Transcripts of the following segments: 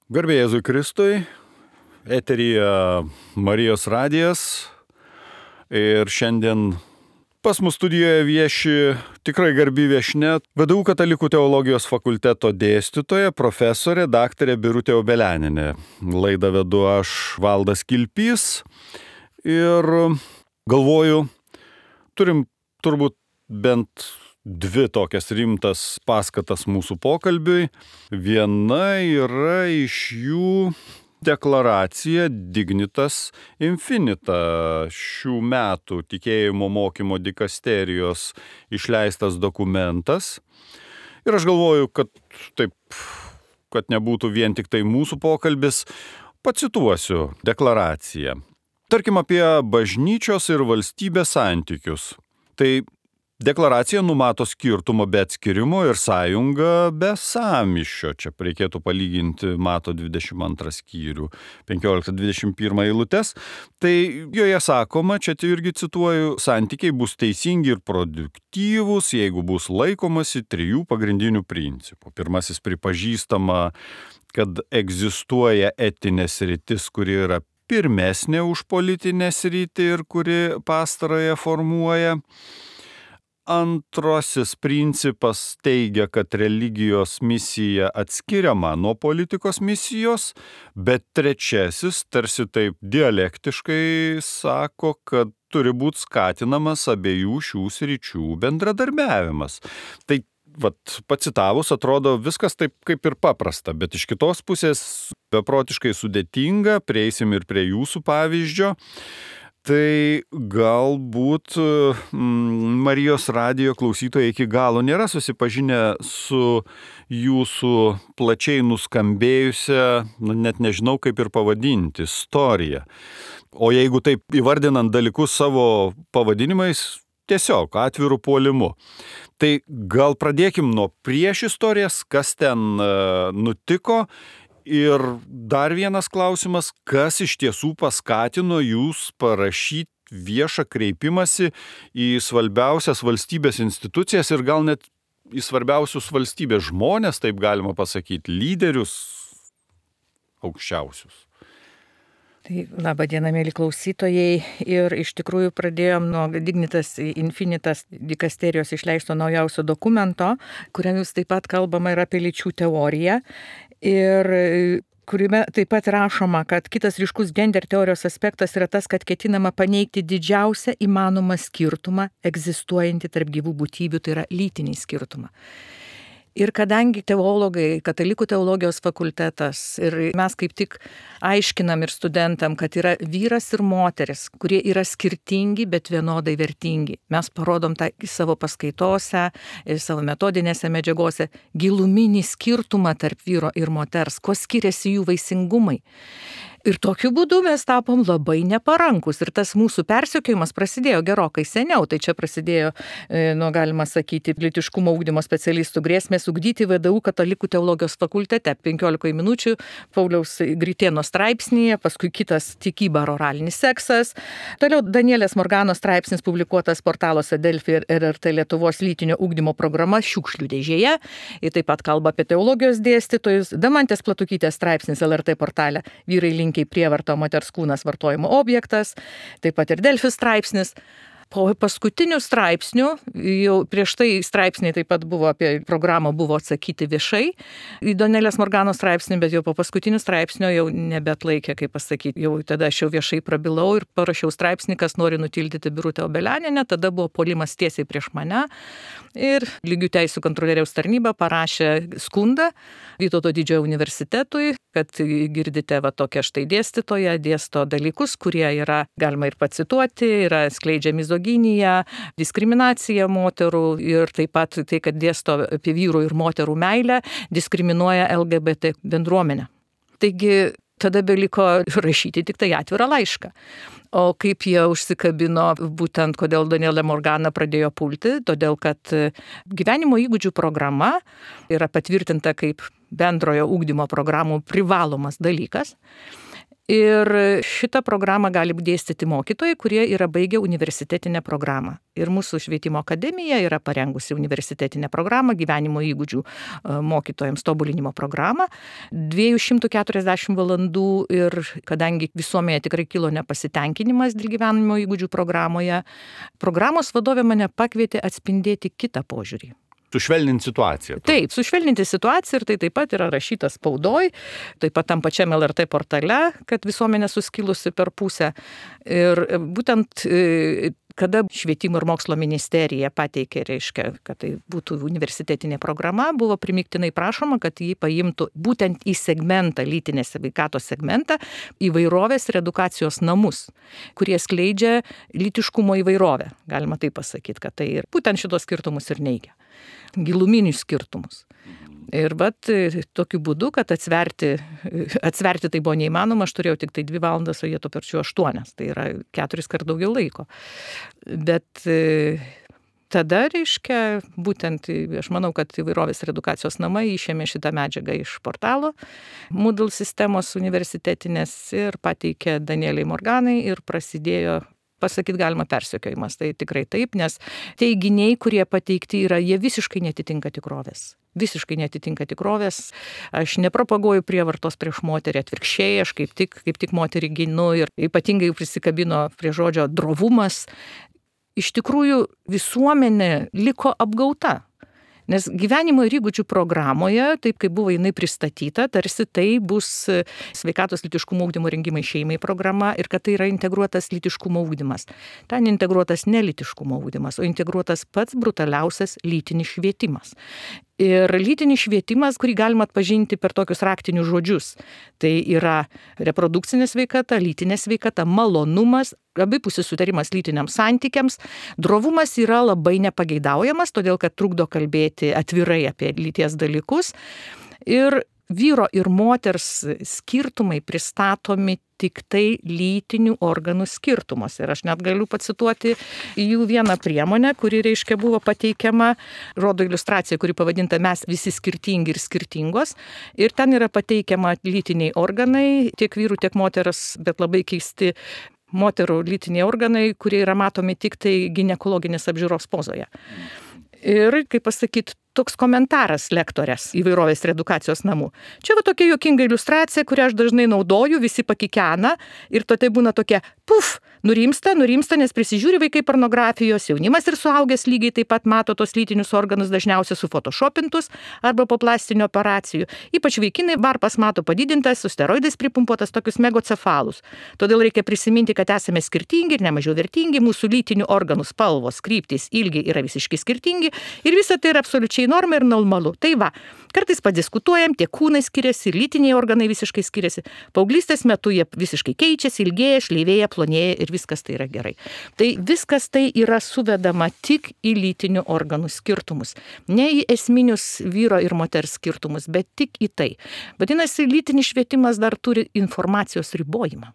Garbė Jėzui Kristui, eteryje Marijos radijas ir šiandien pas mus studijoje vieši tikrai garbi viešnia, VDU Katalikų teologijos fakulteto dėstytoja, profesorė, daktarė Birutė Obelianinė. Laidą vedu aš, Valdas Kilpys, ir galvoju, turim turbūt bent dvi tokias rimtas paskatas mūsų pokalbiui. Viena yra iš jų deklaracija Dignitas Infinita, šių metų tikėjimo mokymo dikasterijos išleistas dokumentas. Ir aš galvoju, kad nebūtų vien tik tai mūsų pokalbis, pacituosiu deklaraciją. Tarkim apie bažnyčios ir valstybės santykius. Tai deklaracija numato skirtumą be atskirimo ir sąjungą be sąmyšio. Čia reikėtų palyginti Mato 22 skyrių, 15-21 eilutes. Tai joje sakoma, čia irgi cituoju, santykiai bus teisingi ir produktyvūs, jeigu bus laikomasi trijų pagrindinių principų. Pirmasis, pripažįstama, kad egzistuoja etinė sritis, kuri yra pirmesnė už politinę sritį ir kuri pastarąją formuoja. Antrasis principas teigia, kad religijos misija atskiriama nuo politikos misijos, bet trečiasis tarsi taip dialektiškai sako, kad turi būti skatinamas abiejų šių sričių bendradarbiavimas. Tai pacitavus atrodo viskas taip kaip ir paprasta, bet iš kitos pusės beprotiškai sudėtinga, prieisim ir prie jūsų pavyzdžio. Tai galbūt Marijos radijo klausytojai iki galo nėra susipažinę su jūsų plačiai nuskambėjusią, net nežinau kaip ir pavadinti, istoriją. O jeigu taip įvardinant dalykus savo pavadinimais, tiesiog atvirų puolimu. Tai gal pradėkim nuo priešistorės, kas ten nutiko. Ir dar vienas klausimas, kas iš tiesų paskatino jūs parašyti viešą kreipimąsi į svarbiausias valstybės institucijas ir gal net į svarbiausius valstybės žmonės, taip galima pasakyti, lyderius aukščiausius. Tai labą dieną, mėly klausytojai. Ir iš tikrųjų pradėjom nuo Dignitas Infinitas dikasterijos išleisto naujausio dokumento, kuriame jūs taip pat kalbama ir apie lyčių teoriją. Ir kuriame taip pat rašoma, kad kitas ryškus gender teorijos aspektas yra tas, kad ketinama paneigti didžiausią įmanomą skirtumą egzistuojantį tarp gyvų būtybių, tai yra lytinį skirtumą. Ir kadangi teologai, Katalikų teologijos fakultetas ir mes kaip tik aiškinam ir studentam, kad yra vyras ir moteris, kurie yra skirtingi, bet vienodai vertingi. Mes parodom tą savo paskaitose, savo metodinėse medžiagose giluminį skirtumą tarp vyro ir moters, kuo skiriasi jų vaisingumai. Ir tokiu būdu mes tapom labai neparankus. Ir tas mūsų persekiojimas prasidėjo gerokai seniau. Tai čia prasidėjo, galima sakyti, lytiškumo ugdymo specialistų grėsmės ugdyti VDU Katalikų teologijos fakultete. 15 minučių Pauliaus Gritėno straipsnėje, paskui kitas tikyba ar oralinis seksas. Toliau Danielės Morganos straipsnis publikuotas portaluose Delfi ir RRT Lietuvos lytinio ugdymo programa Šiukšlių dėžėje. Ir taip pat kalba apie teologijos dėstytojus. Damantės Platukytės straipsnis LRT portale Vyrai linki prievarto, moters kūnas vartojimo objektas, taip pat ir Delfi straipsnis. Po paskutinių straipsnių, jau prieš tai straipsniai taip pat buvo apie programą, buvo atsakyti viešai į Danielės Morganos straipsnį, bet jau po paskutinių straipsnių jau nebeatlaikė, kaip pasakyti. Jau tada aš jau viešai prabilau ir parašiau straipsnį, kas nori nutildyti Birutę Obelianinę, tada buvo puolimas tiesiai prieš mane. Ir Lygių teisių kontrolieriaus tarnyba parašė skundą Vytauto Didžiojo universitetui, kad girdite tokią štai dėstytoją, dėsto dalykus, kurie yra, galima ir pacituoti, yra skleidžia mizoginiją, diskriminaciją moterų ir taip pat tai, kad dėsto apie vyrų ir moterų meilę, diskriminuoja LGBT bendruomenę. Taigi tada beliko rašyti tik tai atvirą laišką. O kaip jie užsikabino, būtent kodėl Danielė Morgana pradėjo pulti, todėl kad gyvenimo įgūdžių programa yra patvirtinta kaip bendrojo ugdymo programų privalomas dalykas. Ir šitą programą gali dėstyti mokytojai, kurie yra baigę universitetinę programą. Ir mūsų švietimo akademija yra parengusi universitetinę programą, gyvenimo įgūdžių mokytojams tobulinimo programą, 240 valandų ir kadangi visuomenėje tikrai kilo nepasitenkinimas dėl gyvenimo įgūdžių programoje, programos vadovė mane pakvietė atspindėti kitą požiūrį. Sušvelninti situaciją. Taip, sušvelninti situaciją ir tai taip pat yra rašyta spaudoj, taip pat tam pačiam LRT portale, kad visuomenė suskilusi per pusę. Ir būtent kada švietimo ir mokslo ministerija pateikė, reiškia, kad tai būtų universitetinė programa, buvo primiktinai prašoma, kad jį paimtų būtent į segmentą, lytinės sveikatos segmentą, įvairovės ir edukacijos namus, kurie skleidžia lytiškumo įvairovę. Galima taip pasakyti, kad tai ir būtent šitos skirtumus ir neigia. Giluminius skirtumus. Ir tokiu būdu, kad atsverti tai buvo neįmanoma, aš turėjau tik tai 2 valandas, o jie to perčiu 8, tai yra 4 kart daugiau laiko. Bet tada, reiškia, būtent, aš manau, kad įvairovės ir edukacijos namai išėmė šitą medžiagą iš portalo Moodle sistemos universitetinės ir pateikė Danieliai Morganai ir prasidėjo, pasakyti galima, persekiojimas. Tai tikrai taip, nes teiginiai, kurie pateikti yra, jie visiškai netitinka tikrovės. Visiškai netitinka tikrovės. Aš nepropaguoju prievartos prieš moterį, atvirkščiai, aš kaip tik moterį ginu ir ypatingai prisikabino prie žodžio drovumas. Iš tikrųjų, visuomenė liko apgauta. Nes gyvenimo ir įgūdžių programoje, taip kaip buvo jinai pristatyta, tarsi tai bus sveikatos lytiškumo ugdymo rengimai šeimai programa ir kad tai yra integruotas lytiškumo ugdymas. Ten integruotas ne lytiškumo ugdymas, o integruotas pats brutaliausias lytinis švietimas. Ir lytinis švietimas, kurį galima atpažinti per tokius raktinius žodžius. Tai yra reprodukcinė sveikata, lytinė sveikata, malonumas, abipusis sutarimas lytiniams santykiams. Drovumas yra labai nepageidaujamas, todėl kad trukdo kalbėti atvirai apie lyties dalykus. Ir vyro ir moters skirtumai pristatomi tik tai lytinių organų skirtumus. Ir aš net galiu pacituoti jų vieną priemonę, kuri, reiškia, buvo pateikiama, rodo iliustracija, kuri pavadinta Mes visi skirtingi ir skirtingos. Ir ten yra pateikiama lytiniai organai, tiek vyrų, tiek moters, bet labai keisti moterų lytiniai organai, kurie yra matomi tik tai ginekologinės apžiūros pozoje. Ir, kaip pasakyti, toks komentaras lektorės įvairovės ir edukacijos namų. Čia tokia juokinga iliustracija, kurią aš dažnai naudoju, visi pakikena ir tai būna tokia, nurimsta, nes prisižiūri vaikai pornografijos, jaunimas ir suaugęs lygiai taip pat mato tos lytinius organus dažniausiai sufotoshopintus arba po plastinių operacijų. Ypač vaikinai varpas mato padidintas, su steroidais pripumpuotas tokius megocefalus. Todėl reikia prisiminti, kad esame skirtingi ir nemažiau vertingi, mūsų lytinių organų spalvos, kryptys, ilgiai yra visiškai skirtingi ir visa tai yra absoliučiai norma ir normalu. Tai va, kartais padiskutuojam, tie kūnai skiriasi, lytiniai organai visiškai skiriasi. Paauglystės metu jie visiškai keičiasi, ilgėja, šleivėja, plonėja ir viskas tai yra gerai. Tai viskas tai yra suvedama tik į lytinių organų skirtumus. Ne į esminius vyro ir moters skirtumus, bet tik į tai. Vadinasi, lytinis švietimas dar turi informacijos ribojimą.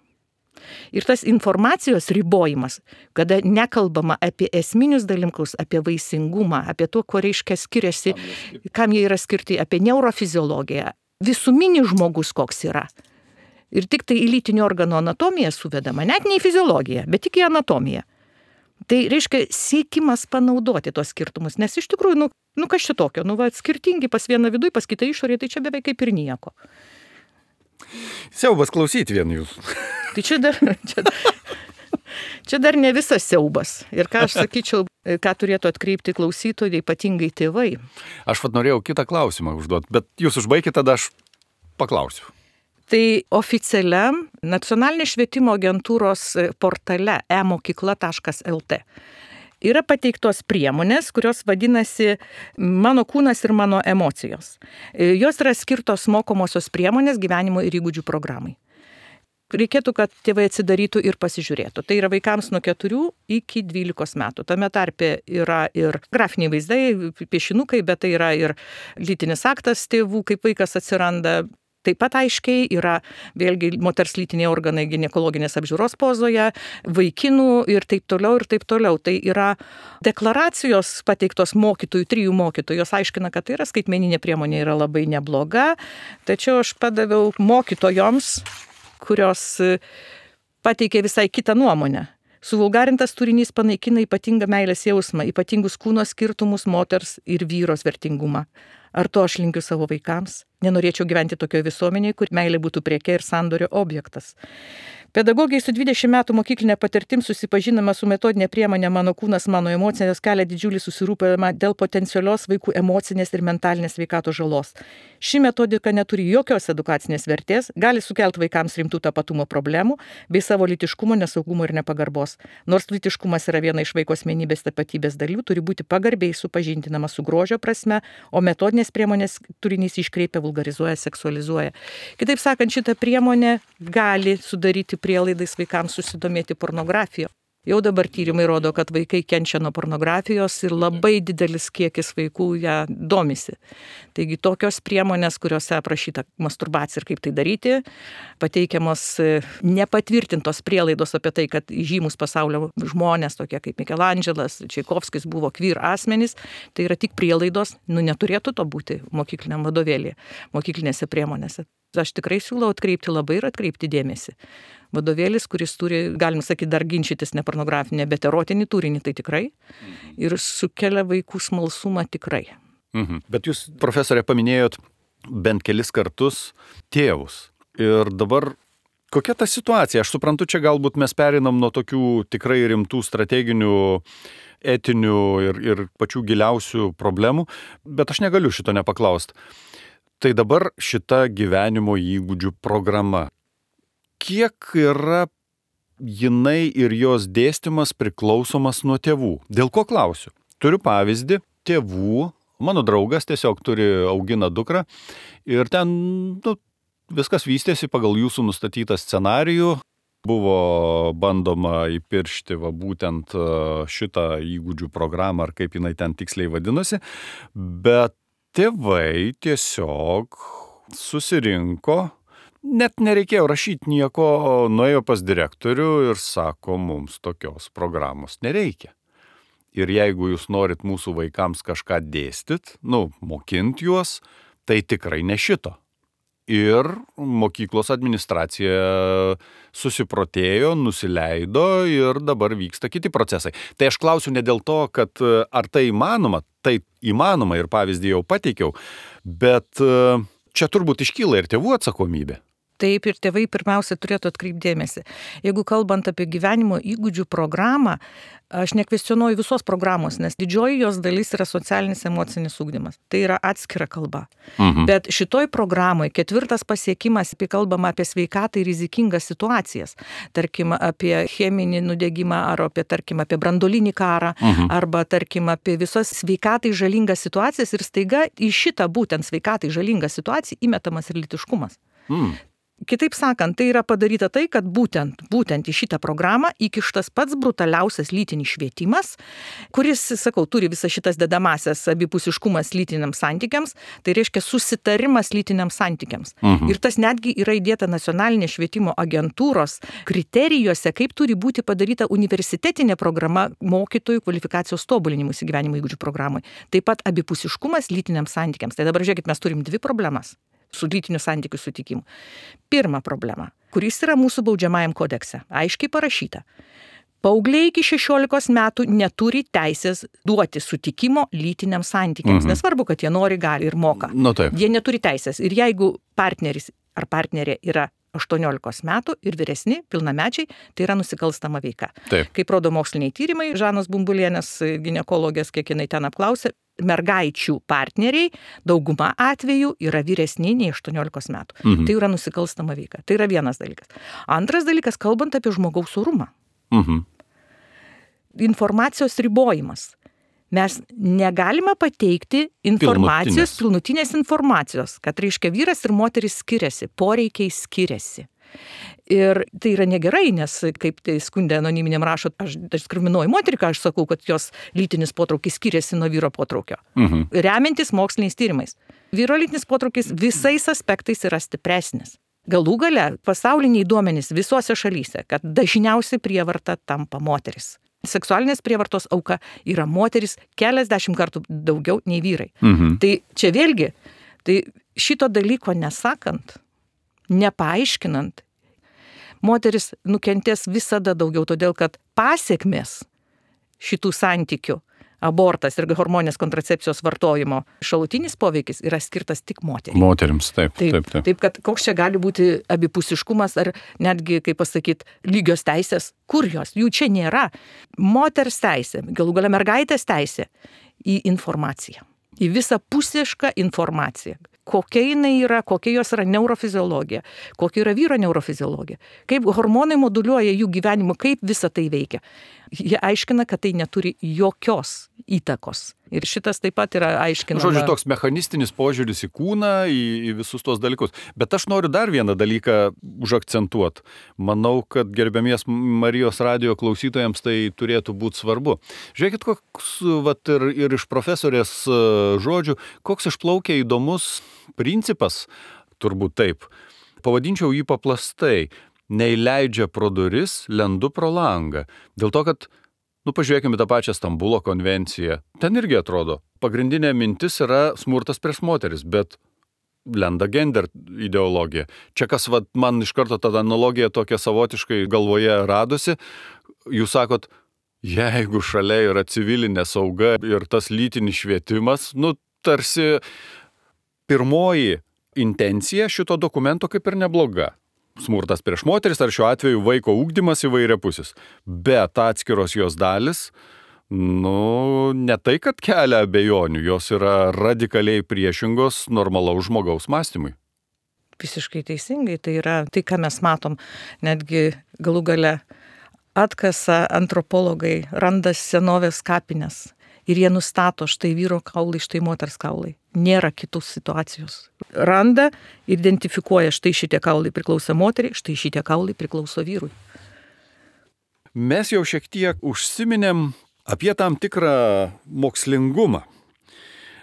Ir tas informacijos ribojimas, kada nekalbama apie esminius dalykus, apie vaisingumą, apie to, ko reiškia skiriasi, kam jie yra skirti, apie neurofiziologiją, visuminis žmogus koks yra. Ir tik tai į lytinių organų anatomiją suvedama, net ne į fiziologiją, bet tik į anatomiją. Tai reiškia siekimas panaudoti tos skirtumus, nes iš tikrųjų, kas čia tokio, skirtingi pas vieną viduj, pas kitą išorėje, tai čia beveik kaip ir nieko. Siaubas klausyti vien jūsų. Tai čia dar ne visas siaubas. Ir ką aš sakyčiau, ką turėtų atkreipti klausytojai, ypatingai tėvai. Aš norėjau kitą klausimą užduoti, bet jūs užbaikite, tada aš paklausiu. Tai oficialiam Nacionalinės švietimo agentūros portale emokykla.lt yra pateiktos priemonės, kurios vadinasi Mano kūnas ir mano emocijos. Jos yra skirtos mokomosios priemonės gyvenimo ir įgūdžių programai. Reikėtų, kad tėvai atsidarytų ir pasižiūrėtų. Tai yra vaikams nuo 4 iki 12 metų. Tame tarpe yra ir grafiniai vaizdai, piešinukai, bet tai yra ir lytinis aktas tėvų, kaip vaikas atsiranda. Taip pat aiškiai yra vėlgi moters lytiniai organai ginekologinės apžiūros pozoje, vaikinų ir taip toliau ir taip toliau. Tai yra deklaracijos pateiktos mokytojų, 3 mokytojų, jos aiškina, kad tai yra skaitmeninė priemonė, yra labai nebloga. Tačiau aš padaviau mokytojoms, kurios pateikė visai kitą nuomonę. Suvulgarintas turinys panaikina ypatingą meilės jausmą, ypatingus kūno skirtumus, moters ir vyros vertingumą. Ar to aš linkiu savo vaikams? Nenorėčiau gyventi tokioje visuomenėje, kur meilė būtų prieke ir sandorio objektas. Pedagogai su 20 metų mokyklinė patirtim susipažinama su metodinė priemonė Mano kūnas, mano emocijos kelia didžiulį susirūpinimą dėl potencialios vaikų emocinės ir mentalinės sveikatos žalos. Ši metodika neturi jokios edukacinės vertės, gali sukelti vaikams rimtų tapatumo problemų bei savo lytiškumo, nesaugumo ir nepagarbos. Nors lytiškumas yra viena iš vaiko asmenybės tapatybės dalių, turi būti pagarbiai supažindinama su grožio prasme, o metodinės priemonės turinys iškreipia, vulgarizuoja, seksualizuoja. Kitaip sakant, šita priemonė gali sudaryti prielaidais vaikams susidomėti pornografiją. Jau dabar tyrimai rodo, kad vaikai kenčia nuo pornografijos ir labai didelis kiekis vaikų ją domisi. Taigi tokios priemonės, kuriuose aprašyta masturbacija ir kaip tai daryti, pateikiamos nepatvirtintos prielaidos apie tai, kad žymus pasaulio žmonės, tokie kaip Mikelandželas, Čaikovskis buvo queer asmenys, tai yra tik prielaidos, neturėtų to būti mokykliniam vadovėlyje, mokyklinėse priemonėse. Aš tikrai siūlau atkreipti dėmesį. Vadovėlis, kuris turi, galim sakyti, dar ginčytis ne pornografinę, bet erotinį turinį, tai tikrai. Ir sukelia vaikų smalsumą tikrai. Bet jūs, profesorė, paminėjot bent kelis kartus tėvus. Ir dabar kokia ta situacija? Aš suprantu, čia galbūt mes perinam nuo tokių tikrai rimtų strateginių, etinių ir pačių giliausių problemų, bet aš negaliu šito nepaklausti. Tai dabar šita gyvenimo įgūdžių programa. Kiek yra jinai ir jos dėstymas priklausomas nuo tėvų? Dėl ko klausiu? Turiu pavyzdį tėvų. Mano draugas tiesiog augina dukrą ir ten viskas vystėsi pagal jūsų nustatytą scenarijų. Buvo bandoma įpiršti būtent šitą įgūdžių programą, ar kaip jinai ten tiksliai vadinosi, bet tėvai tiesiog susirinko, net nereikėjo rašyti nieko, nuėjo pas direktorių ir sako, mums tokios programos nereikia. Ir jeigu jūs norit mūsų vaikams kažką dėstyt, mokint juos, tai tikrai ne šito. Ir mokyklos administracija susiprotėjo, nusileido ir dabar vyksta kiti procesai. Tai aš klausiu ne dėl to, kad ar tai įmanoma ir pavyzdį jau pateikiau, bet čia turbūt iškyla ir tėvų atsakomybė. Taip, ir tėvai pirmiausia turėtų atkreipti dėmesį. Jeigu kalbant apie gyvenimo įgūdžių programą, aš nekvestionuoju visos programos, nes didžioji jos dalis yra socialinis emocinis ugdymas. Tai yra atskira kalba. Bet šitoj programoje 4 pasiekimas, kalbama apie sveikatą ir rizikingas situacijas. Tarkim, apie cheminį nudegimą, ar apie branduolinį karą, arba tarkim, apie visas sveikatai žalingas situacijas ir staiga į šitą būtent sveikatai žalingą situaciją įmetamas ir lytiškumas. Kitaip sakant, tai yra padaryta tai, kad būtent į šitą programą įkištas pats brutaliausias lytinis švietimas, kuris, turi visas šitas dedamasias abipusiškumas lytiniams santykiams, tai reiškia susitarimas lytiniams santykiams. Ir tas netgi yra įdėta nacionalinės švietimo agentūros kriterijuose, kaip turi būti padaryta universitetinė programa mokytojų kvalifikacijos tobulinimui gyvenimo įgūdžių programai. Taip pat abipusiškumas lytiniams santykiams. Tai dabar žiūrėkit, mes turim 2 problemas su lytinių santykių sutikimu. Pirma problema, kuris yra mūsų baudžiamajam kodekse, aiškiai parašyta. Paaugliai iki 16 metų neturi teisės duoti sutikimo lytiniams santykiams. Nesvarbu, kad jie nori, gali ir moka. Jie neturi teisės. Ir jeigu partneris ar partnerė yra 18 metų ir vyresni, pilnamečiai, tai yra nusikalstama veika. Taip. Kaip rodo moksliniai tyrimai, Žanos Bumbulienės ginekologės, kiek jinai ten apklausė, mergaičių partneriai dauguma atvejų yra vyresni nei 18 metų. Tai yra nusikalstama veika. Tai yra vienas dalykas. Antras dalykas, kalbant apie žmogaus orumą. Informacijos ribojimas. Mes negalime pateikti informacijos, pilnutinės informacijos, kad reiškia vyras ir moteris skiriasi, poreikiai skiriasi. Ir tai yra negerai, nes kaip tai skundė anoniminiam rašo, aš diskriminuoju moterį, ką aš sakau, kad jos lytinis potraukis skiriasi nuo vyro potraukio. Remiantis moksliniais tyrimais. Vyro lytinis potraukis visais aspektais yra stipresnis. Galų gale pasauliniai duomenys visose šalyse, kad dažniausiai prievarta tampa moteris. Seksualinės prievartos auka yra moteris keliasdešimt kartų daugiau nei vyrai. Tai čia vėlgi, tai šito dalyko nesakant, nepaaiškinant, moteris nukentės visada daugiau, todėl kad pasiekmės šitų santykių, abortas ir hormoninės kontracepcijos vartojimo šalutinis poveikis yra skirtas tik moterims. Moterims, taip. Taip, kad koks čia gali būti abipusiškumas ar netgi, kaip pasakyti, lygios teisės, kur jos, jų čia nėra. Moters teisė, galų gale mergaitės teisė į informaciją, į visapusišką informaciją. Kokia jinai yra, kokia jos yra neurofiziologija, kokia yra vyro neurofiziologija, kaip hormonai moduliuoja jų gyvenimą, kaip visa tai veikia. Jie aiškina, kad tai neturi jokios įtakos. Ir šitas taip pat yra aiškinama. Žodžiu, toks mechanistinis požiūris į kūną, į visus tos dalykus. Bet aš noriu dar vieną dalyką užakcentuoti. Manau, kad gerbiamies Marijos radijo klausytojams tai turėtų būti svarbu. Žiūrėkit, koks, ir iš profesorės žodžių, koks išplaukia įdomus principas, turbūt taip. Pavadinčiau jį paplastai. Neįleidžia pro duris, lendu pro langą. Dėl to, kad, pažiūrėkime tą pačią Stambulo konvenciją. Ten irgi atrodo, pagrindinė mintis yra smurtas prieš moteris, bet lenda gender ideologija. Čia kas man iš karto tada analogija tokia savotiškai galvoje radosi. Jūs sakot, jeigu šalia yra civilinė sauga ir tas lytinis švietimas, tarsi pirmoji intencija šito dokumento kaip ir nebloga. Smurtas prieš moteris, ar šiuo atveju vaiko ugdymas įvairiapusis. Bet atskiros jos dalis, ne tai, kad kelia abejonių, jos yra radikaliai priešingos normalaus žmogaus mąstymui. Visiškai teisingai, tai yra tai, ką mes matom, netgi galų gale atkasa antropologai, randa senovės kapines. Ir jie nustato štai vyro kaulai, štai moters kaulai. Nėra kitos situacijos. Randa, identifikuoja štai šitie kaulai priklauso moteriai, štai šitie kaulai priklauso vyrui. Mes jau šiek tiek užsiminėm apie tam tikrą mokslingumą.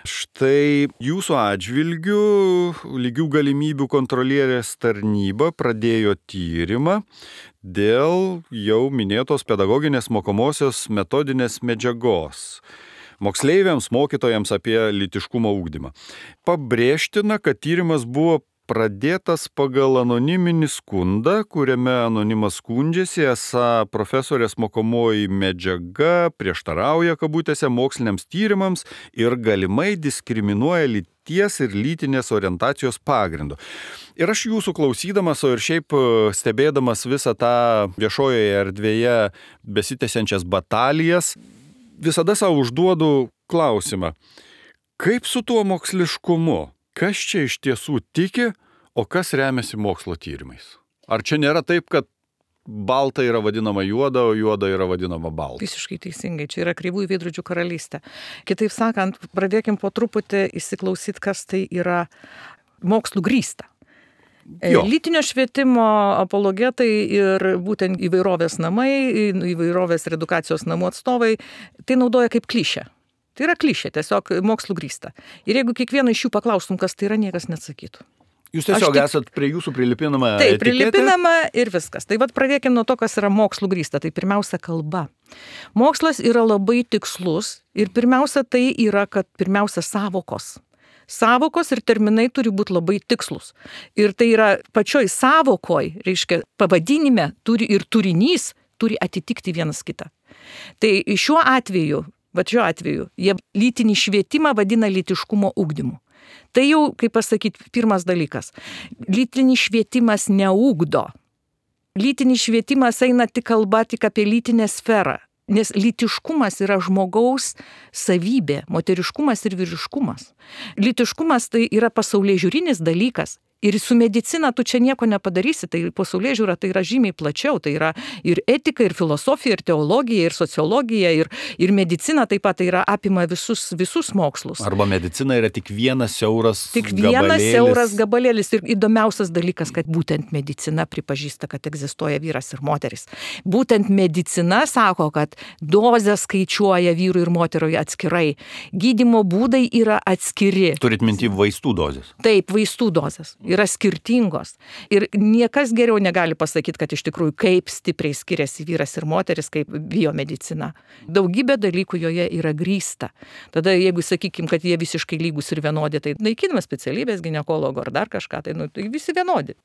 Štai jūsų atžvilgiu lygių galimybių kontrolierės tarnyba pradėjo tyrimą dėl jau minėtos pedagoginės mokomosios metodinės medžiagos. Moksleiviams, mokytojams apie lytiškumo ugdymą. Pabrėžtina, kad tyrimas buvo pradėtas pagal anoniminį skundą, kuriame anonimas skundžiasi, esą profesorės mokomoji medžiaga prieštarauja kabutėse moksliniams tyrimams ir galimai diskriminuoja lyties ir lytinės orientacijos pagrindu. Ir aš jūsų klausydamas, o ir šiaip stebėdamas visą tą viešojoje erdvėje besitęsiančias batalijas, visada savo užduodu klausimą, kaip su tuo moksliškumu? Kas čia iš tiesų tiki, o kas remiasi mokslo tyrimais? Ar čia nėra taip, kad balta yra vadinama juoda, o juoda yra vadinama balta? Visiškai teisingai, čia yra kreivųjų veidrodžių karalystė. Kitaip sakant, pradėkim po truputį įsiklausyti, kas tai yra mokslų grįsta. Lytinio švietimo apologetai ir būtent įvairovės namai, įvairovės ir edukacijos namų atstovai tai naudoja kaip klišę. Tai yra klišė, tiesiog mokslų grįsta. Ir jeigu kiekvieną iš jų paklaustum, kas tai yra, niekas neatsakytų. Jūs tiesiog esat prie jūsų prilipinama etiketė? Taip, prilipinama ir viskas. Tai pradėkim nuo to, kas yra mokslų grįsta. Tai pirmiausia kalba. Mokslas yra labai tikslus ir pirmiausia tai yra, kad pirmiausia savokos. Savokos ir terminai turi būti labai tikslus. Ir tai yra pačioj savokoj, reiškia, pavadinime turi ir turinys turi atitikti vienas kitą. Tai šiuo atveju, jie lytinį švietimą vadina lytiškumo ugdymu. Tai jau, kaip pasakyti, pirmas dalykas. Lytinis švietimas neugdo. Lytinis švietimas eina tik kalba tik apie lytinę sferą. Nes lytiškumas yra žmogaus savybė, moteriškumas ir vyriškumas. Lytiškumas tai yra pasaulėžiūrinis dalykas. Ir su medicina tu čia nieko nepadarysi, tai pasaulėžiūra tai yra žymiai plačiau, tai yra ir etika, ir filosofija, ir teologija, ir sociologija, ir medicina taip pat tai yra apima visus mokslus. Arba medicina yra tik vienas siauras gabalėlis. Tik vienas siauras gabalėlis ir įdomiausias dalykas, kad būtent medicina pripažįsta, kad egzistuoja vyras ir moteris. Būtent medicina sako, kad dozę skaičiuoja vyrui ir moterui atskirai. Gydymo būdai yra atskiri. Turit minty vaistų dozės? Taip, vaistų dozės. Yra skirtingos. Ir niekas geriau negali pasakyti, kad iš tikrųjų kaip stipriai skiriasi vyras ir moteris, kaip biomedicina. Daugybė dalykų joje yra grįsta. Tada jeigu sakykim, kad jie visiškai lygus ir vienodi, tai naikinama specialybės ginekologo ar dar kažką, tai visi vienodi.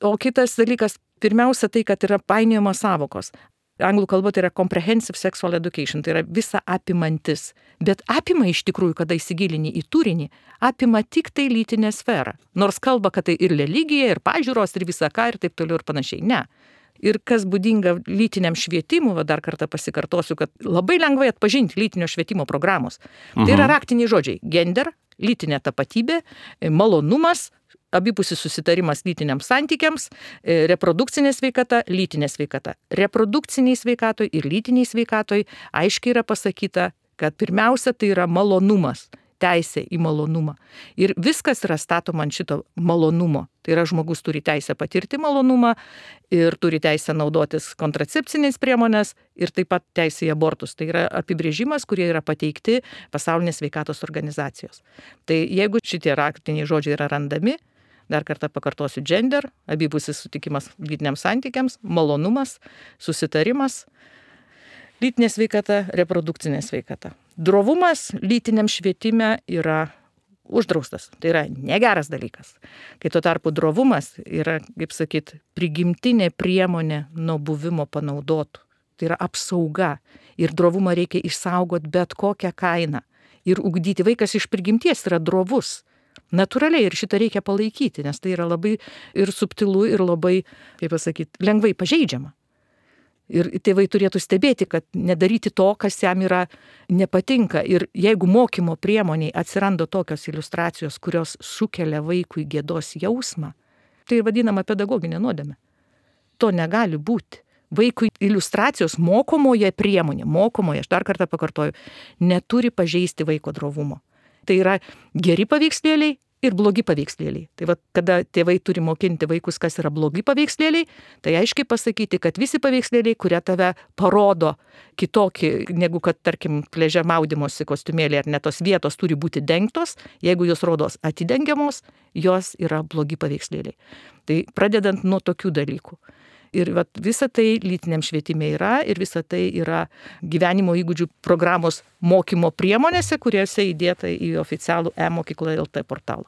O kitas dalykas, pirmiausia tai, kad yra painiojamos sąvokos. Anglų kalba tai yra comprehensive sexual education, tai yra visa apimantis. Bet apima iš tikrųjų, kada įsigilini į turinį, apima tik tai lytinę sferą. Nors kalba, kad tai ir religija, ir pažiūros, ir visa ką, ir taip toliau ir panašiai. Ne. Ir kas būdinga lytiniam švietimui, dar kartą pasikartosiu, kad labai lengvai atpažinti lytinio švietimo programos. Tai yra raktiniai žodžiai: gender, lytinė tapatybė, malonumas, abipusis susitarimas lytiniams santykiams, reprodukcinė sveikata, lytinė sveikata. Reprodukciniai sveikatoj ir lytiniai sveikatoj aiškiai yra pasakyta, kad pirmiausia tai yra malonumas, teisė į malonumą. Ir viskas yra statoma ant šito malonumo. Tai yra žmogus turi teisę patirti malonumą ir turi teisę naudotis kontracepcinės priemonės ir taip pat teisę į abortus. Tai yra apibrėžimas, kurie yra pateikti Pasaulinės sveikatos organizacijos. Tai jeigu šitie raktiniai žodžiai yra randami, dar kartą pakartosiu: gender, abipusis sutikimas lytiniams santykiams, malonumas, susitarimas, lytinė sveikata, reprodukcinė sveikata. Drovumas lytiniam švietime yra uždraustas. Tai yra negeras dalykas. Kai tuo tarpu drovumas yra, kaip sakyt, prigimtinė priemonė nuo buvimo panaudotų. Tai yra apsauga. Ir drovumą reikia išsaugoti bet kokią kainą. Ir ugdyti. Vaikas iš prigimties yra drovus. Natūraliai, ir šitą reikia palaikyti, nes tai yra labai ir subtilu, ir labai, kaip pasakyti, lengvai pažeidžiama. Ir tėvai turėtų stebėti, kad nedaryti to, kas jam yra nepatinka. Ir jeigu mokymo priemoniai atsiranda tokios iliustracijos, kurios sukelia vaikui gėdos jausmą, tai vadinama pedagoginė nuodėmė. To negali būti. Vaikui iliustracijos mokomoje priemonė, aš dar kartą pakartoju, neturi pažeisti vaiko drovumo. Tai yra geri paveikslėliai ir blogi paveikslėliai. Tai va, kada tėvai turi mokinti vaikus, kas yra blogi paveikslėliai, tai aiškiai pasakyti, kad visi paveikslėliai, kurie tave parodo kitokį, negu kad, tarkim, pliaže maudymosi kostiumėlį, ar ne, tos vietos turi būti dengtos, jeigu jos rodos atidengiamos, jos yra blogi paveikslėliai. Tai pradedant nuo tokių dalykų. Ir visa tai lytiniam švietime yra, ir visa tai yra gyvenimo įgūdžių programos mokymo priemonėse, kuriuose įdėta į oficialų e-mokykla LT portalą.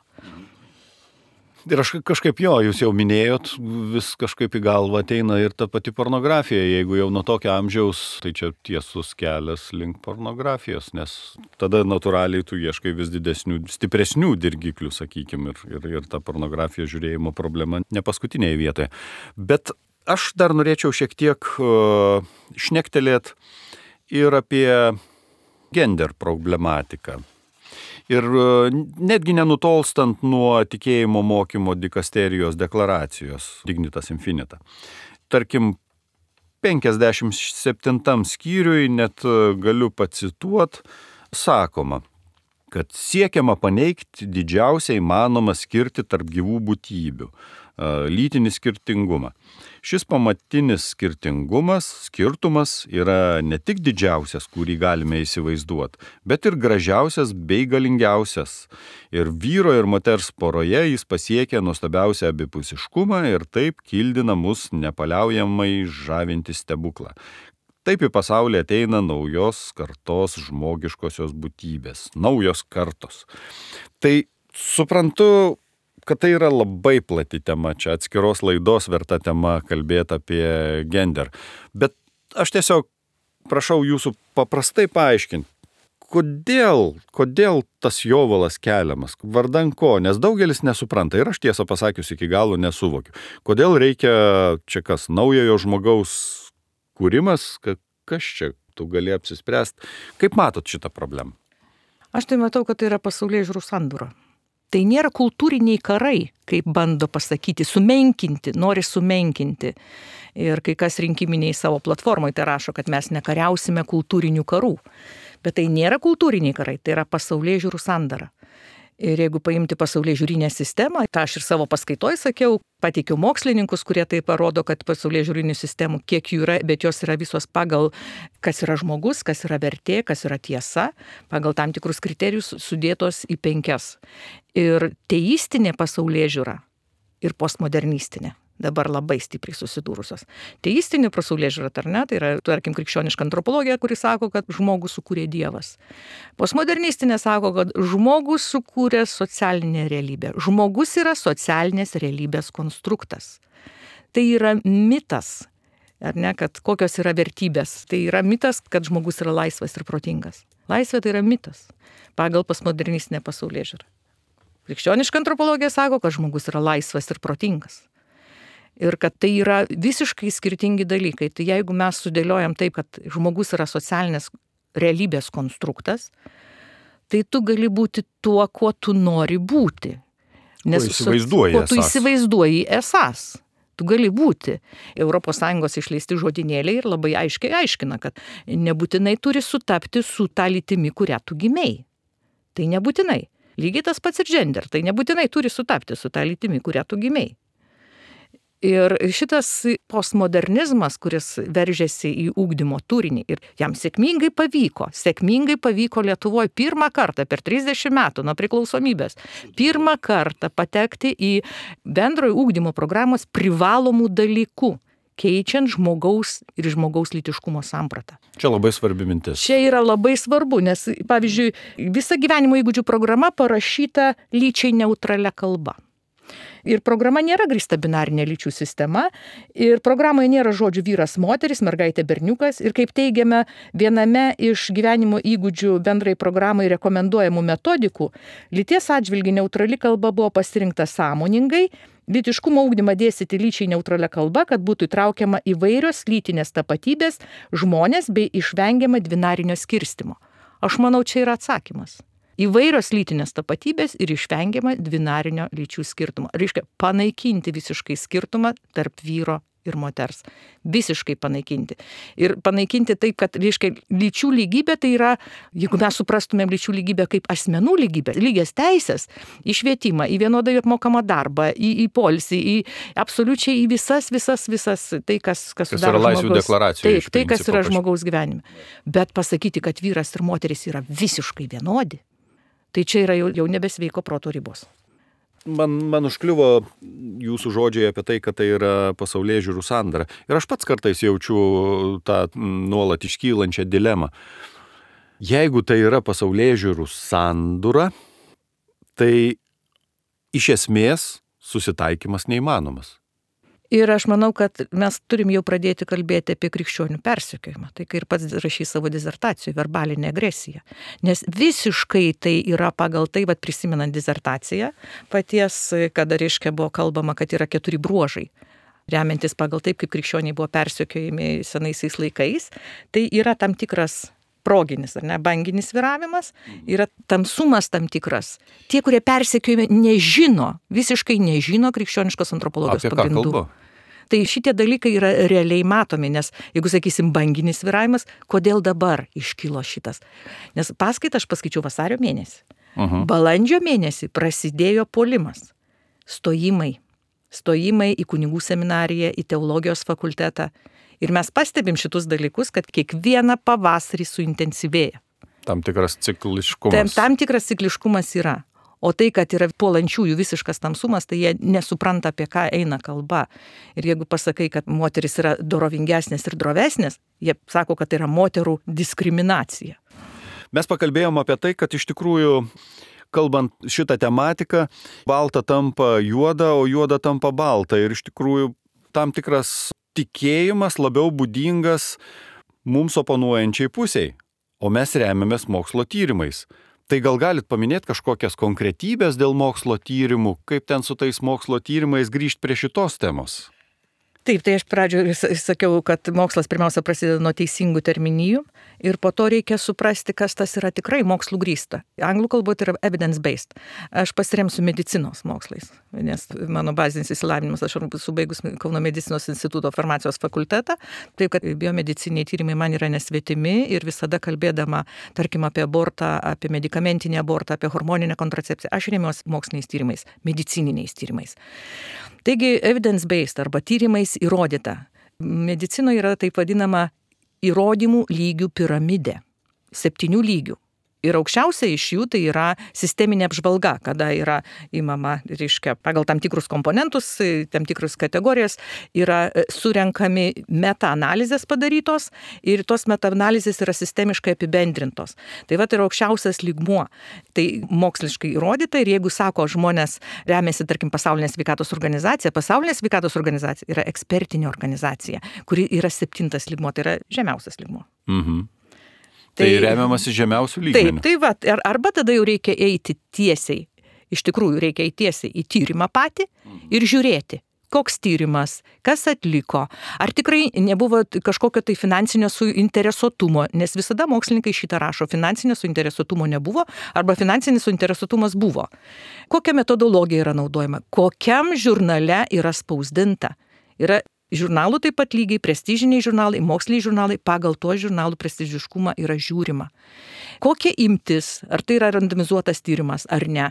Ir aš kažkaip jūs jau minėjot, vis kažkaip į galvą ateina ir ta pati pornografija. Jeigu jau nuo tokio amžiaus, tai čia tiesus kelias link pornografijos, nes tada natūraliai tu ieškai vis didesnių, stipresnių dirgiklių, sakykime, ir ta pornografijos žiūrėjimo problema ne paskutinėje vietoje. Bet aš dar norėčiau šiek tiek šnektelėt ir apie gender problematiką. Ir netgi nenutolstant nuo tikėjimo mokymo dikasterijos deklaracijos Dignitas Infinita. Tarkim, 57 skyriui, net galiu pacituot, sakoma, kad siekiama paneigti didžiausią įmanomą skirtį tarp gyvų būtybių – lytinį skirtingumą. Šis pamatinis skirtumas yra ne tik didžiausias, kurį galime įsivaizduoti, bet ir gražiausias bei galingiausias. Ir vyro ir moters poroje jis pasiekia nuostabiausią abipusiškumą ir taip kildina mus nepaliaujamai žavinti stebuklą. Taip į pasaulį ateina naujos kartos žmogiškosios būtybės, naujos kartos. Tai suprantu, kad tai yra labai plati tema, čia atskiros laidos verta tema kalbėti apie gender. Bet aš tiesiog prašau jūsų paprastai paaiškinti, kodėl tas jovalas keliamas, vardan ko, nes daugelis nesupranta ir aš tiesą pasakius iki galo nesuvokiu. Kodėl reikia čia kas, naujojo žmogaus kūrimas, kas čia, tu gali apsispręsti. Kaip matot šitą problemą? Aš tai matau, kad tai yra pasaulėžiūrų sandūra. Tai nėra kultūriniai karai, kaip bando pasakyti, nori sumenkinti. Ir kai kas rinkiminiai savo platformoje tai rašo, kad mes nekariausime kultūrinių karų. Bet tai nėra kultūriniai karai, tai yra pasaulėžiūrų sandara. Ir jeigu paimti pasaulėžiūrinę sistemą, tą aš ir savo paskaitoje sakiau, pateikiau mokslininkus, kurie tai parodo, kad pasaulėžiūrinių sistemų kiek jų yra, bet jos yra visos pagal, kas yra žmogus, kas yra vertė, kas yra tiesa, pagal tam tikrus kriterijus sudėtos į 5. Ir teistinė pasaulėžiūra ir postmodernistinė dabar labai stipriai susidūrusios. Teistinė pasaulėžiūra, tai yra, tarkim, krikščioniška antropologija, kuri sako, kad žmogų sukūrė Dievas. Postmodernistinė sako, kad žmogus sukūrė socialinę realybę. Žmogus yra socialinės realybės konstruktas. tai yra mitas, ar ne, kad kokios yra vertybės. Tai yra mitas, kad žmogus yra laisvas ir protingas. Laisvė tai yra mitas pagal postmodernistinę pasaulėžiūrą. Krikščioniška antropologija sako, kad žmogus yra laisvas ir protingas. Ir kad tai yra visiškai skirtingi dalykai. Tai jeigu mes sudėliojam taip, kad žmogus yra socialinės realybės konstruktas, tai tu gali būti tuo, kuo tu nori būti. Nes kuo tu įsivaizduoji esas. Tu gali būti. ES išleisti žodynėliai ir labai aiškiai aiškina, kad nebūtinai turi sutapti su ta lytimi, kurią tu gimei. Tai nebūtinai. Lygiai tas pats ir gender. Tai nebūtinai turi sutapti su ta lytimi, kurią tu gimei. Ir šitas postmodernizmas, kuris veržėsi į ugdymo turinį ir jam sėkmingai pavyko Lietuvoje pirmą kartą per 30 metų nuo priklausomybės, pirmą kartą patekti į bendrojo ugdymo programos privalomų dalykų, keičiant žmogaus ir žmogaus lytiškumo sampratą. Čia labai svarbi mintis. Čia yra labai svarbu, nes, pavyzdžiui, visa gyvenimo įgūdžių programa parašyta lyčiai neutralia kalba. Ir programa nėra grįsta binarinė lyčių sistema, ir programoje nėra žodžių vyras, moteris, mergaitė, berniukas. Ir kaip teigiame viename iš gyvenimo įgūdžių bendrai programai rekomenduojamų metodikų, lyties atžvilgiu neutrali kalba buvo pasirinkta sąmoningai, lytiškumo ugdymą dėstyti lyčiai neutralia kalba, kad būtų įtraukiama įvairios lytinės tapatybės, žmonės bei išvengiama dvinarinio skirstimo. Aš manau, čia yra atsakymas. Įvairios lytinės tapatybės ir išvengiama dvinarinio lyčių skirtumo. Reiškia, panaikinti visiškai skirtumą tarp vyro ir moters. Visiškai panaikinti. Ir panaikinti taip, kad, reiškia, lyčių lygybė tai yra, jeigu mes suprastumėm lyčių lygybę kaip asmenų lygybę, lygias teisės, į švietimą, į vienodai apmokamą darbą, į poilsį, į absoliučiai į visas, tai, kas sudaro laisvių deklaracijoje. Taip, tai, kas yra žmogaus gyvenime. Bet pasakyti, kad vyras ir moteris yra visiškai vienodi, tai čia yra jau nebesveiko proto ribos. Man užkliuvo jūsų žodžiai apie tai, kad tai yra pasaulėžiūrų sandara. Ir aš pats kartais jaučiu tą nuolat iškylančią dilemą. Jeigu tai yra pasaulėžiūrų sandura, tai iš esmės susitaikymas neįmanomas. Ir aš manau, kad mes turim jau pradėti kalbėti apie krikščionių persekiojimą. Tai kai ir pats rašys savo disertacijoje, verbalinė agresija. Nes visiškai tai yra pagal tai, prisimenant disertaciją, paties, kada reiškia buvo kalbama, kad yra 4 bruožai. Remiantis pagal taip, kaip krikščioniai buvo persekiojami senaisiais laikais, tai yra tam tikras proginis, ar ne, banginis sviravimas, yra tamsumas tam tikras. Tie, kurie persekiojami, visiškai nežino krikščioniškos antropologijos pagrindų. Apie ką kalba? Tai šitie dalykai yra realiai matomi, nes jeigu sakysim banginis sviravimas, kodėl dabar iškilo šitas? Nes paskaitą aš paskaičiau vasario mėnesį. Balandžio mėnesį prasidėjo puolimas. Stojimai į kunigų seminariją, į teologijos fakultetą. Ir mes pastebim šitus dalykus, kad kiekvieną pavasarį suintensyvėja. Tam tikras cikliškumas. Tam tikras cikliškumas yra. O tai, kad yra puolančiųjų visiškas tamsumas, tai jie nesupranta, apie ką eina kalba. Ir jeigu pasakai, kad moteris yra dorovingesnės ir drovesnės, jie sako, kad tai yra moterų diskriminacija. Mes pakalbėjom apie tai, kad iš tikrųjų, kalbant šitą tematiką, balta tampa juoda, o juoda tampa balta. Ir iš tikrųjų tam tikras tikėjimas labiau būdingas mums oponuojančiai pusiai, o mes remiamės mokslo tyrimais. Tai gal galit paminėti kažkokias konkretybės dėl mokslo tyrimų, kaip ten su tais mokslo tyrimais grįžti prie šitos temos? Taip, tai aš pradžioje sakiau, kad mokslas pirmiausia prasideda nuo teisingų terminijų ir po to reikia suprasti, kas tas yra tikrai mokslų grįsta. Anglų kalboje tai yra evidence-based. Aš pasiremsiu medicinos mokslais, nes mano bazinis išsilavinimas, aš subaigus Kauno medicinos instituto farmacijos fakultetą, taip kad biomediciniai tyrimai man yra nesvetimi ir visada kalbėdama, tarkim, apie abortą, apie medikamentinį abortą, apie hormoninę kontracepciją, aš remiuosi moksliniais tyrimais, medicininiais tyrimais. Taigi, evidence-based arba tyrimais įrodyta. Medicinoje yra taip vadinama įrodymų lygių piramidė. 7 lygių. Ir aukščiausia iš jų tai yra sisteminė apžvalga, kada yra įmama, reiškia, pagal tam tikrus komponentus, tam tikrus kategorijas, yra surenkami meta-analizės padarytos ir tos meta-analizės yra sistemiškai apibendrintos. Tai va, tai yra aukščiausias lygmuo. Tai moksliškai įrodyta ir jeigu sako žmonės remiasi, tarkim, Pasaulinė sveikatos organizacija yra ekspertinė organizacija, kuri yra 7 lygmuo, tai yra žemiausias lygmuo. Mhm. Tai remiamasi žemiausių lygmenių. Taip, tai va, arba tada jau reikia eiti tiesiai, iš tikrųjų reikia eiti tiesiai į tyrimą patį ir žiūrėti, koks tyrimas, kas atliko, ar tikrai nebuvo kažkokio tai finansinio suinteresuotumo, nes visada mokslininkai šitą rašo, finansinio suinteresuotumo nebuvo, arba finansinis suinteresuotumas buvo. Kokia metodologija yra naudojama, kokiam žurnale yra spausdinta. Yra žurnalų taip pat lygiai, prestižiniai žurnalai, moksliniai žurnalai, pagal to žurnalų prestižiškumą yra žiūrima. Kokia imtis, ar tai yra randomizuotas tyrimas ar ne.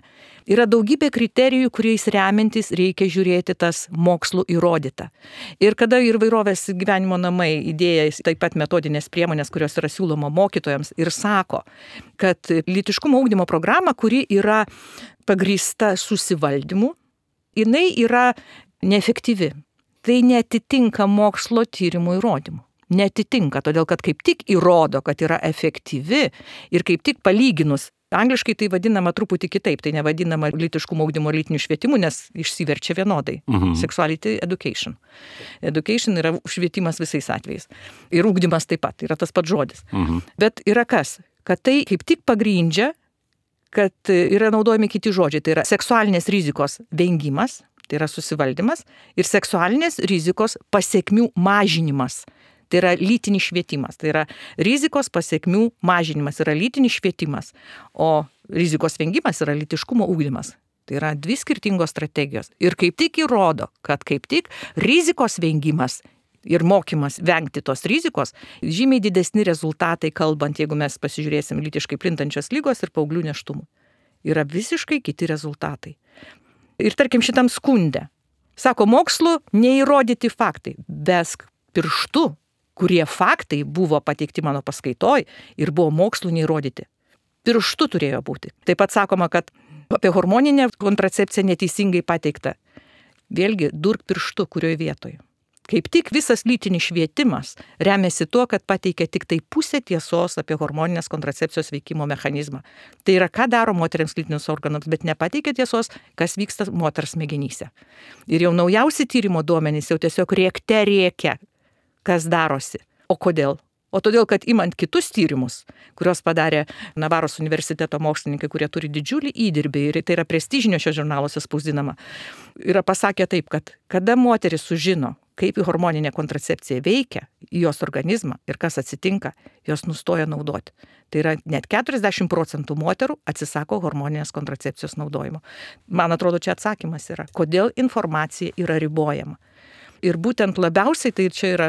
Yra daugybė kriterijų, kuriais remiantis reikia žiūrėti tas mokslų įrodyta. Ir kada ir Įvairovės gyvenimo namai idėja taip pat metodinės priemonės, kurios yra siūloma mokytojams ir sako, kad lytiškumo ugdymo programa, kuri yra pagrįsta susivaldymu, jinai yra neefektyvi. Tai neatitinka mokslo tyrimų įrodymų. Neatitinka, todėl kad kaip tik įrodo, kad yra efektyvi ir kaip tik palyginus. Angliškai tai vadinama truputį kitaip, tai nevadinama lytiškumo ugdymo lytiniu švietimu, nes išsiverčia vienodai. Sexuality education. Education yra švietimas visais atvejais. Ir ugdymas taip pat, yra tas pats žodis. Bet yra kas? Kad tai kaip tik pagrindžia, kad yra naudojami kiti žodžiai. Tai yra seksualinės rizikos vengimas, tai yra susivaldymas, ir seksualinės rizikos pasekmių mažinimas. Tai yra lytinis švietimas. Tai yra rizikos pasekmių mažinimas, yra lytinis švietimas, o rizikos vengimas yra lytiškumo ugdymas. Tai yra 2 skirtingos strategijos. Ir kaip tik įrodo, kad kaip tik rizikos vengimas ir mokymas vengti tos rizikos, žymiai didesni rezultatai, kalbant, jeigu mes pasižiūrėsim lytiškai plintančios ligos ir paauglių nėštumų. Yra visiškai kiti rezultatai. Ir tarkim šitam skunde, sako, mokslu neįrodyti faktai, besk pirštu, kurie faktai buvo pateikti mano paskaitoj ir buvo mokslu neįrodyti. Pirštu turėjo būti. Taip pat sakoma, kad apie hormoninę kontracepciją neteisingai pateikta. Vėlgi, durk pirštu, kurioje vietoje. Kaip tik visas lytinis švietimas remiasi tuo, kad pateikia tik tai pusę tiesos apie hormoninės kontracepcijos veikimo mechanizmą. Tai yra, ką daro moteriams lytinius organams, bet nepateikia tiesos, kas vyksta moters smegenyse. Ir jau naujausi tyrimo duomenys jau tiesiog rėkia, kas darosi. O kodėl? O todėl, kad imant kitus tyrimus, kurios padarė Navaros universiteto mokslininkai, kurie turi didžiulį įdirbį ir tai yra prestižiniuose žurnaluose spausdinama, yra pasakę taip, kad kada moteris sužino, kaip hormoninė kontracepcija veikia į jos organizmą ir kas atsitinka, jos nustoja naudoti. Tai yra net 40% moterų atsisako hormoninės kontracepcijos naudojimo. Man atrodo, čia atsakymas yra, kodėl informacija yra ribojama. Ir būtent labiausiai tai čia yra,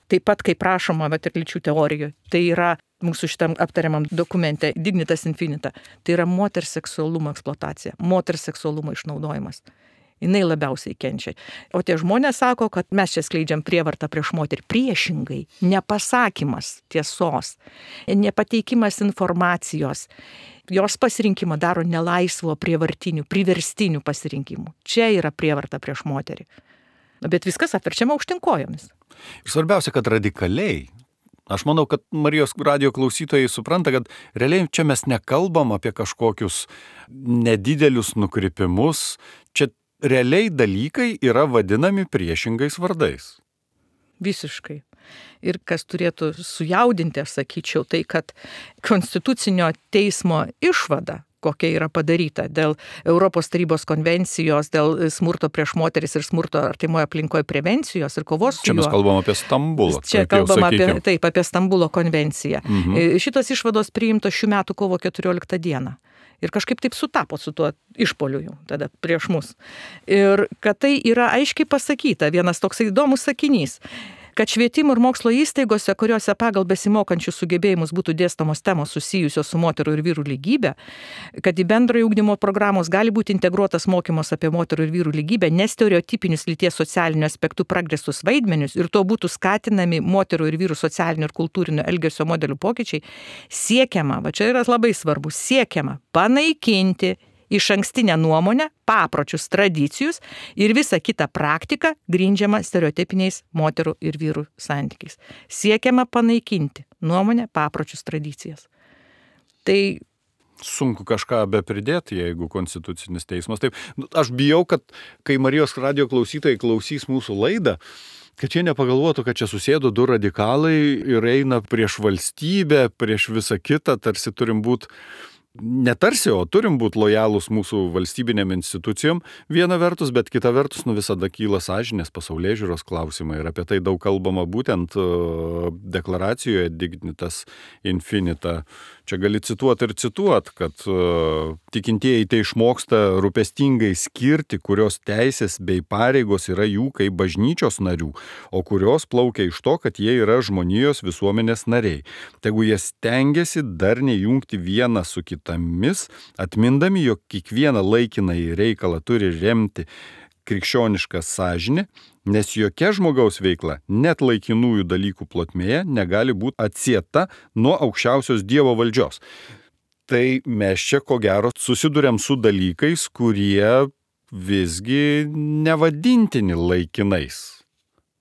taip pat kaip prašoma, bet ir lyčių teorijoje, tai yra mūsų šitam aptariamam dokumente Dignitas Infinita, tai yra moters seksualumo eksploatacija, moters seksualumo išnaudojimas. Jinai labiausiai kenčia. O tie žmonės sako, kad mes čia skleidžiam prievartą prieš moterį. Priešingai, nepasakymas tiesos, nepateikimas informacijos, jos pasirinkimą daro nelaisvo prievartinių, priverstinių pasirinkimų. Čia yra prievarta prieš moterį. Bet viskas apverčiama aukštyn kojomis. Ir svarbiausia, kad radikaliai. Aš manau, kad Marijos radijo klausytojai supranta, kad realiai čia mes nekalbam apie kažkokius nedidelius nukrypimus. Čia realiai dalykai yra vadinami priešingais vardais. Visiškai. Ir kas turėtų sujaudinti, aš sakyčiau, tai kad Konstitucinio teismo išvada, kokia yra padaryta dėl Europos tarybos konvencijos, dėl smurto prieš moteris ir smurto artimoje aplinkoje prevencijos ir kovos su juo. Čia mes kalbam apie Stambulą. Čia kalbam apie Stambulo konvenciją. Šitos išvados priimtos šių metų kovo 14 dieną. Ir kažkaip taip sutapo su tuo išpoliu tada prieš mus. Ir kad tai yra aiškiai pasakyta, vienas toks įdomus sakinys. kad švietimo ir mokslo įstaigose, kuriuose pagal besimokančių sugebėjimus būtų dėstamos temos susijusios su moterų ir vyrų lygybė, kad į bendrojo ugdymo programos gali būti integruotas mokymas apie moterų ir vyrų lygybę, nestereotipinius lyties socialinių aspektų progresus vaidmenius ir to būtų skatinami moterų ir vyrų socialinių ir kultūrinio elgesio modelių pokyčiai, siekiama, va čia yra labai svarbu, siekiama panaikinti išankstinę nuomonę, papročius, tradicijus ir visą kitą praktiką grindžiamą stereotipiniais moterų ir vyrų santykiais. Siekiama panaikinti nuomonę, papročius, tradicijas. Tai sunku kažką be pridėti, jeigu konstitucinis teismas. Taip, aš bijau, kad kai Marijos radijo klausytojai klausys mūsų laidą, kad jie nepagalvotų, kad čia susėdo du radikalai ir eina prieš valstybę, prieš visą kitą, tarsi turim būti netarsi, o turim būti lojalūs mūsų valstybinėm institucijom viena vertus, bet kita vertus visada kyla sąžinės pasaulėžiūros klausimai ir apie tai daug kalbama būtent deklaracijoje Dignitas Infinita. Čia gali cituoti ir cituoti, kad tikintieji tai išmoksta rūpestingai skirti, kurios teisės bei pareigos yra jų kaip bažnyčios narių, o kurios plaukia iš to, kad jie yra žmonijos visuomenės nariai. Tegu jie stengiasi darniai jungti vieną su kitomis, atmindami, jog kiekvieną laikinąjį reikalą turi remti krikščionišką sąžinę, nes jokia žmogaus veikla, net laikinųjų dalykų plotmėje, negali būti atsieta nuo aukščiausios Dievo valdžios. Tai mes čia ko gero susiduriam su dalykais, kurie visgi nevadintini laikinais.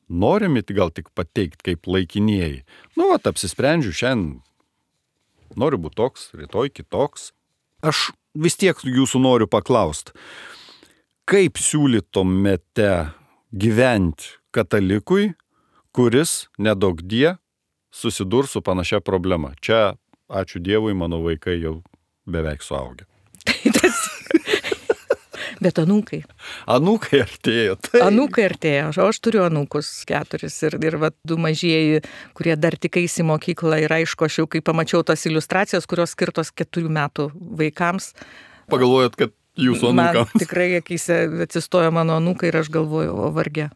Norime gal tik pateikti kaip laikinieji. Apsisprendžiu šiandien, noriu būti toks, rytoj kitoks. Aš vis tiek jūsų noriu paklausti, kaip siūlytumėte gyventi katalikui, kuris nedaugdie susidurs su panašia problema? Čia, ačiū Dievui, mano vaikai jau beveik suaugę. Bet anūkai. Anūkai artėjo. Tai. Anūkai artėjo. Aš turiu anūkus 4 ir 2 mažieji, kurie dar tik eis į mokyklą ir aišku, aš jau kai pamačiau tas iliustracijas, kurios skirtos 4 metų vaikams. Pagalvojot, kad jūsų anūkams. Man tikrai akyse atsistojo mano anūkai ir aš galvoju, o varge.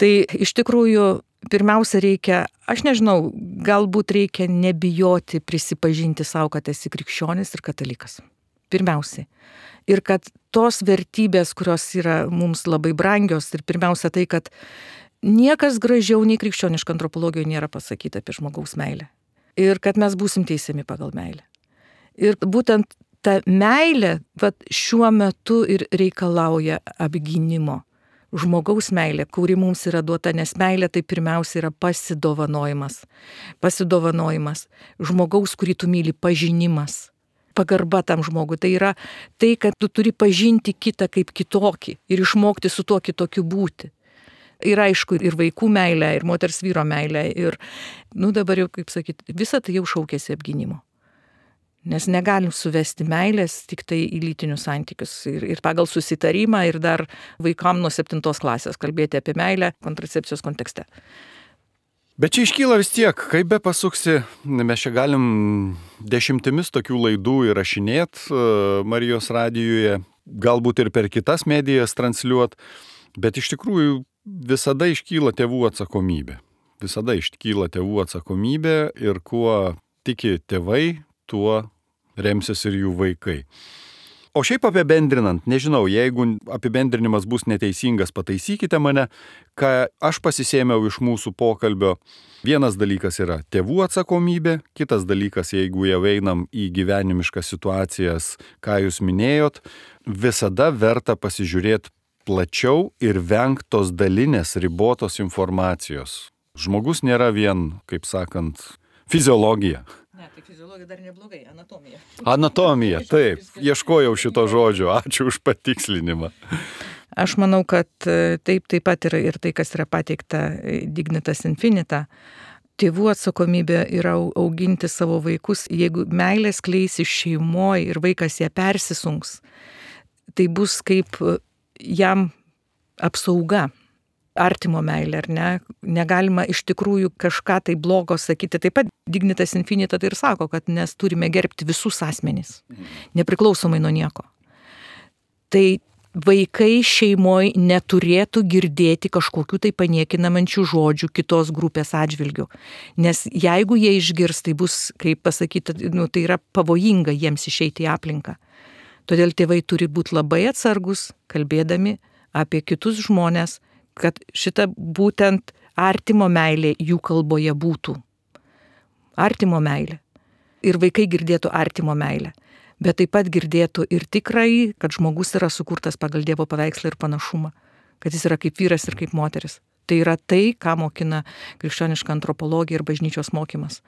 Tai iš tikrųjų pirmiausia reikia, aš nežinau, galbūt reikia nebijoti prisipažinti savo, kad esi krikščionis ir katalikas. Pirmiausiai. Ir kad tos vertybės, kurios yra mums labai brangios, ir pirmiausia tai, kad niekas gražiau nei krikščioniška antropologijoje nėra pasakyta apie žmogaus meilę. Ir kad mes būsim teisiami pagal meilę. Ir būtent ta meilė šiuo metu ir reikalauja apgynimo. Žmogaus meilė, kuri mums yra duota, nes meilė tai pirmiausia yra pasidovanojimas. Pasidovanojimas. Žmogaus, kurį tu myli, pažinimas. Pagarba tam žmogui. Tai yra tai, kad tu turi pažinti kitą kaip kitokį ir išmokti su tuo kitokiu būti. Ir aišku, ir vaikų meilė, ir moters vyro meilė. Ir, dabar jau, kaip sakyti, visa tai jau šaukėsi apgynimo. Nes negalim suvesti meilės tik tai į lytinius santykius. Ir pagal susitarimą, ir dar vaikam nuo 7 klasės kalbėti apie meilę kontracepcijos kontekste. Bet čia iškyla vis tiek, kaip be pasuksi, mes čia galim 10 tokių laidų įrašinėti Marijos radijoje, galbūt ir per kitas medijas transliuot, bet iš tikrųjų visada iškyla tėvų atsakomybė. Visada iškyla tėvų atsakomybė ir kuo tiki tėvai, tuo remsis ir jų vaikai. O šiaip apibendrinant, nežinau, jeigu apibendrinimas bus neteisingas, pataisykite mane, ką aš pasisėmiau iš mūsų pokalbio. Vienas dalykas yra tėvų atsakomybė, kitas dalykas, jeigu jau einam į gyvenimiškas situacijas, ką jūs minėjot, visada verta pasižiūrėti plačiau ir vengti tos dalinės ribotos informacijos. Žmogus nėra vien, kaip sakant, fiziologija. Ne, tai fiziologija dar neblogai, anatomija. Anatomija, taip, ieškojau šito žodžio, ačiū už patikslinimą. Aš manau, kad taip pat yra ir tai, kas yra pateikta Dignitas Infinita. Tėvų atsakomybė yra auginti savo vaikus. Jeigu meilės kleisi šeimoje ir vaikas ją persisunks, tai bus kaip jam apsauga. Artimo meilė, ar ne? Negalima iš tikrųjų kažką tai blogo sakyti. Taip pat Dignitas Infinita tai ir sako, kad mes turime gerbti visus asmenys, nepriklausomai nuo nieko. Tai vaikai šeimoje neturėtų girdėti kažkokių tai paniekinančių žodžių kitos grupės atžvilgių. Nes jeigu jie išgirs, tai bus, kaip pasakyti, tai yra pavojinga jiems išeiti į aplinką. Todėl tėvai turi būti labai atsargus, kalbėdami apie kitus žmonės, kad šita būtent artimo meilė jų kalboje būtų. Artimo meilė. Ir vaikai girdėtų artimo meilę. Bet taip pat girdėtų ir tikrai, kad žmogus yra sukurtas pagal Dievo paveikslą ir panašumą, kad jis yra kaip vyras ir kaip moteris. Tai yra tai, ką mokina krikščioniška antropologija ir bažnyčios mokymas.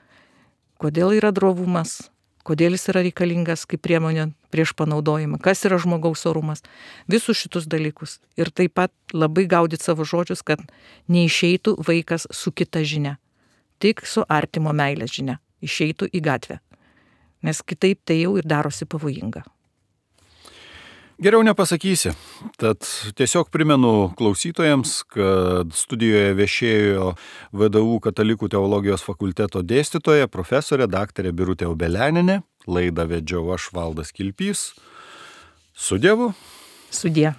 Kodėl yra drovumas, kodėl jis yra reikalingas kaip priemonė prieš panaudojimą, kas yra žmogaus orumas, visus šitus dalykus. Ir taip pat labai gaudyti savo žodžius, kad neišeitų vaikas su kita žinia, tik su artimo meilės žinia, išeitų į gatvę. Nes kitaip tai jau ir darosi pavojinga. Geriau nepasakysi. Tad tiesiog primenu klausytojams, kad studijoje viešėjo VDU Katalikų teologijos fakulteto dėstytoja, profesorė daktarė Birutė Obeleninė. Laidą vedžiau aš, Valdas Kilpys. Su Dievu. Sudie.